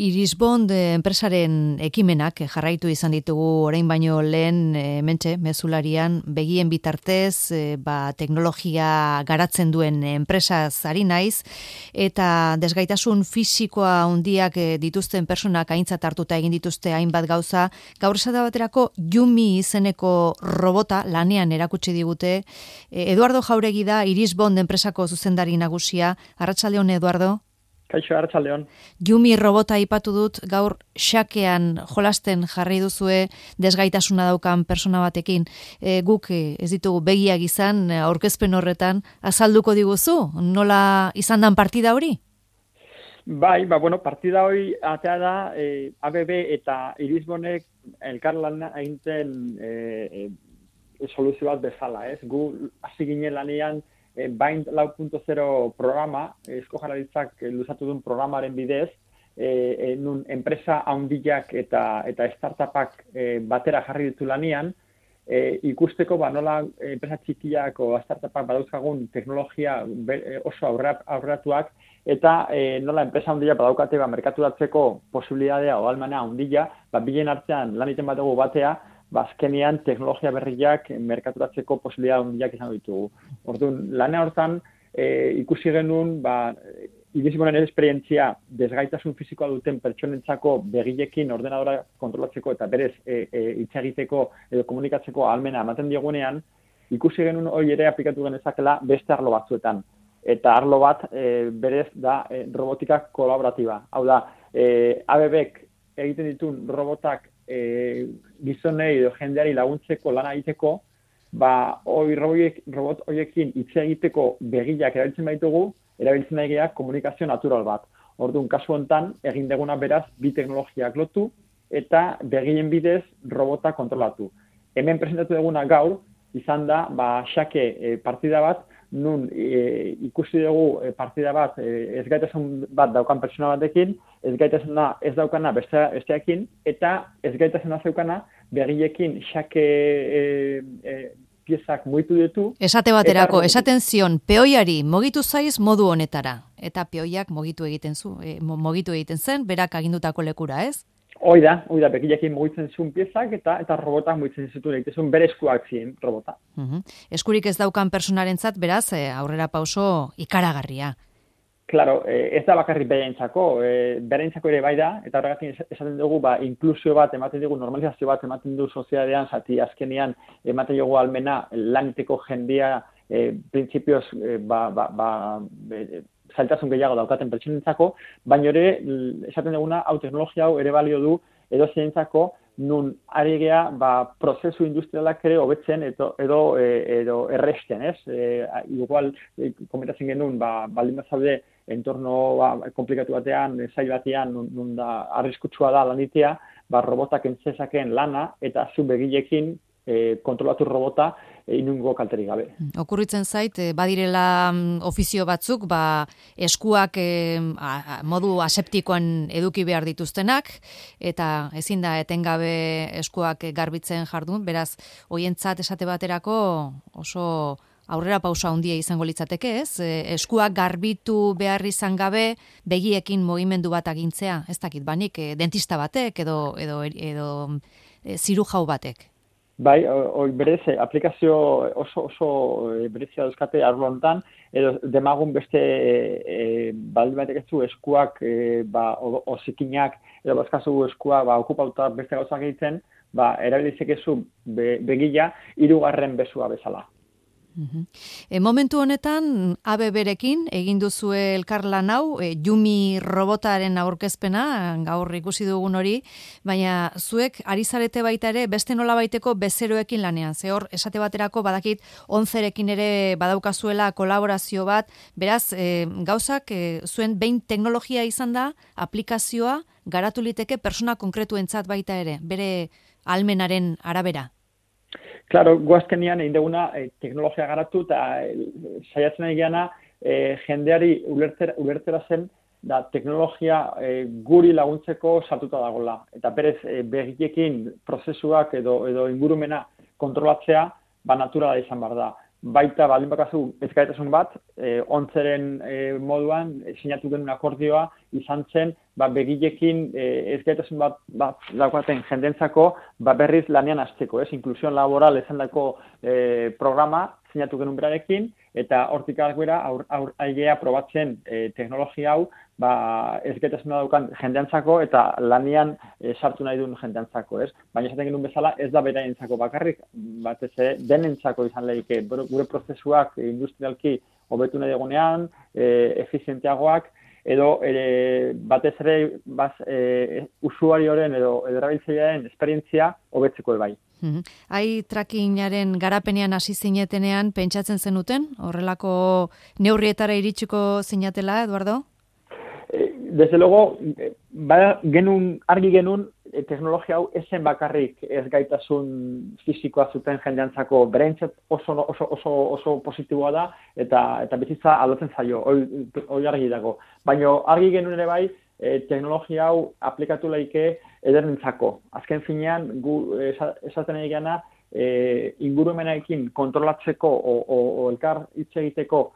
Irisbond enpresaren ekimenak jarraitu izan ditugu orain baino lehen hementxe mezularian begien bitartez teknologia garatzen duen enpresaz ari naiz eta desgaitasun fisikoa handiak dituzten pertsonak aintzat hartuta egin dituzte hainbat gauza. Gaur esate baterako Yumi izeneko robota lanean erakutsi digute. Eduardo Jauregi da Irisbond enpresako zuzendari nagusia. Arratsaldeon, Eduardo. Kaixo, arratsaldeon. Yumi robota aipatu dut, gaur xakean jolasten jarri duzue desgaitasuna daukan persona batekin. Guk ez ditugu begiak izan, aurkezpen horretan, azalduko diguzu? Nola izan dan partida hori? Bai, partida hori atea da ABB eta Irisbondek elkarlana egiten soluzio bat bezala, ez? Gu hasi ginen lanean Bind 4.0 programa, Eusko Jaurlaritzak luzatu duen programaren bidez, nun enpresa handiak eta startupak batera jarri ditu lanean, ikusteko nola enpresa txikiak o startupak badauzkagun teknologia oso aurreratuak eta nola enpresa handia badaukate merkaturatzeko posibilitatea o almana handia, bilen artean lan egiten badugu batea, azkenean teknologia berriak merkaturatzeko posibilitate handiak izan ditugu. Orduan, lana hortan ikusi genuen Irisbonden esperientzia desgaitasun fisikoa duten pertsonentzako begilekin ordenadora kontrolatzeko eta berez hitz egiteko edo komunikatzeko ahalmena ematen diegunean, ikusi genuen hori ere aplikatu genezakela beste arlo batzuetan. Eta arlo bat berez da robotika kolaboratiba. Hau da, ABBek egiten dituen robotak gizonei edo jendeari laguntzeko lana egiteko, robot horiekin hitz egiteko begiak erabiltzen baitugu, erabiltzen nahi komunikazio natural bat. Orduan, kasu honetan, egin deguna beraz, bi teknologiak lotu eta begien bidez robota kontrolatu. Hemen presentatu duguna gaur, izan da, xake partida bat, nun ikusi dugu partida bat ezgaitasun bat daukan pertsona batekin, ezgaitasuna ez daukana besteakin, eta ezgaitasuna zeukana begiekin xake piezak mugitu ditu. Esate baterako, esaten zion, peoiari mugitu zaiz modu honetara, eta peoiak mugitu egiten zen, berak agindutako lekura, ez? Hoi da, begiekin mugitzen zuen piezak eta robotak mugitzen zituen egiten bere eskuak ziren robota. Eskurik ez daukan personarentzat, beraz, aurrera pauso ikaragarria. Claro, ez da bakarrik berentzako ere bai da, eta horregatik esaten dugu, inklusio bat ematen dugu, normalizazio bat ematen du sozietatean, zati azkenean ematen dugu almena laniteko jendea, printzipioz, zailtasun gehiago daukaten pertsonentzako, baina ere, esaten duguna, teknologia hau ere balio du, edo zeintzako, nun ari gea, prozesu industrialak ere hobetzen edo erresten, ez? Igual, komentatzen genuen, baldin bazaude, entorno komplikatu batean, zail batean, nun da arriskutsua da lanitea, robotak entzezakeen lana, eta zu begilekin kontrolatu robota inungo kalterik gabe. Okurritzen zait, badirela ofizio batzuk, eskuak modu aseptikoan eduki behar dituztenak, eta ezin da etengabe eskuak garbitzen jardun, beraz, hoientzat esate baterako oso aurrera pausa handia izango litzateke, ez? Eskuak garbitu behar izan gabe, begiekin mugimendu bat agintzea, ez dakit banik, dentista batek edo zirujau batek. Bai, berez, aplikazio oso berezia dauzkate arlo honetan, edo demagun beste baldin batek ez du eskuak ozikinak, edo bazkazu eskua okupauta beste gauzak egiten, erabilizek ezu begila hirugarren bezua bezala. Momentu honetan ABB-rekin egin duzue elkarlan hau, Yumi robotaren aurkezpena, gaur ikusi dugun hori, baina zuek ari zarete baita ere beste nolabaiteko bezeroekin lanean. Ze hor esate baterako badakit 11rekin ere badaukazuela kolaborazio bat, beraz gauzak zuen behin teknologia izan da, aplikazioa garatu liteke persona konkretuentzat baita ere, bere ahalmenaren arabera. Claro, guazkenian egin duguna teknologia garatu eta saiatzen nahi geana jendeari ulertzera zen da teknologia guri laguntzeko sartuta dagoela. Eta berez begiekin prozesuak edo ingurumena kontrolatzea naturala izan behar da. baita baldin bakazu ezgaitasun bat, ontzeren moduan sinatu genuen akordioa izan zen, begilekin ezgaitasun bat daukaten jendentzako berriz lanean hasteko, inklusion laboral esandako programa sinatu genuen berarekin, eta hortik aurrera aigea probatzen teknologia hau ezgaitasuna daukan jendeantzako eta lanean sartu nahi duen jendeantzako, Baina esaten genuen bezala ez da beraientzako bakarrik, batez denentzako izan leike, gure prozesuak industrialki hobetu nahi egonean, efizienteagoak, edo batez ere usuarioren edo erabiltzailearen esperientzia hobetzeko bai. Eye trackingaren garapenean hasi zinetenean pentsatzen zenuten? Horrelako neurrietara iritsiko zinatela, Eduardo? Desde luego, argi genuen teknologia hau esen bakarrik ez gaitasun fisikoa zuten jendeantzako berentzat oso positiboa da eta bizitza aldatzen zaio, hori argi dago. Baina argi genuen ere bai, teknologia hau aplikatu laike edernentzako. Azken finean, gu esaten egana, ingurumenarekin kontrolatzeko o elkar hitz egiteko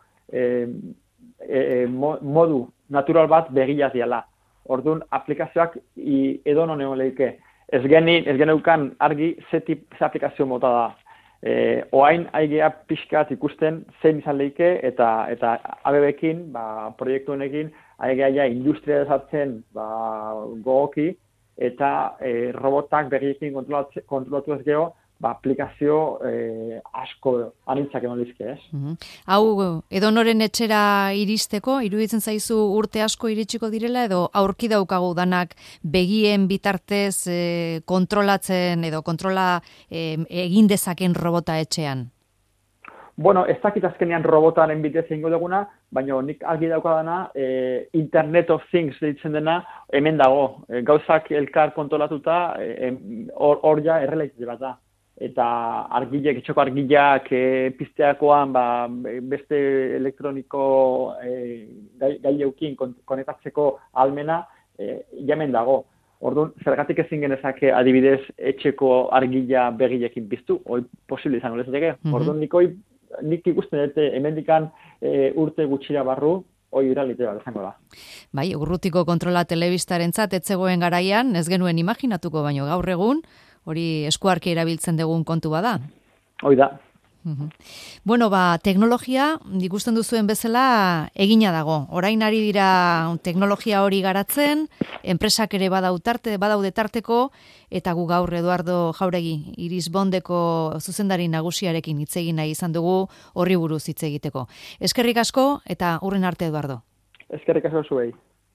modu natural bat begilaz diala. Orduan, aplikazioak edonon egon lehike. Ez geneukan argi ze aplikazio mota da. Oain aigea pixkat ikusten zein izan lehike eta ABB-ekin, proiektu honekin, aigea industria desartzen gogoki eta robotak begiekin kontrolatu ez geho, aplikazio asko anintzak eman dizke, Hau, edonoren etxera iristeko, iruditzen zaizu urte asko iritsiko direla, edo aurki daukagu danak begien bitartez kontrolatzen edo kontrola egin dezaken robota etxean? Bueno, ez dakit azkenean robotaren bitez egingo duguna, baina nik argi daukadana Internet of Things ditzen dena hemen dago. Gauzak elkar kontrolatuta hor ja errealitate bat da. Eta argileak, etxoko argileak pizteakoan beste elektroniko gaileukin konektatzeko almena jamen dago. Orduan, zergatik ezin genezake adibidez etxeko argila begilekin piztu, hori posible izango lezateke. Orduan, nik ikusten dute hemendikan urte gutxira barru, hori iralitea bat izango da. Bai, urrutiko kontrola telebistarentzat ez zegoen garaian, ez genuen imaginatuko, baino gaur egun, hori eskuarki erabiltzen dugun kontu bada. Hoi da. Bueno, teknologia, ikusten duzuen bezala, egina dago. Orain ari dira teknologia hori garatzen, enpresak ere badaude tarteko, eta gu gaur Eduardo Jauregi, Irisbondeko zuzendari nagusiarekin hitz egin nahi izan dugu horri buruz hitz egiteko. Eskerrik asko eta hurren arte, Eduardo. Eskerrik asko zuei.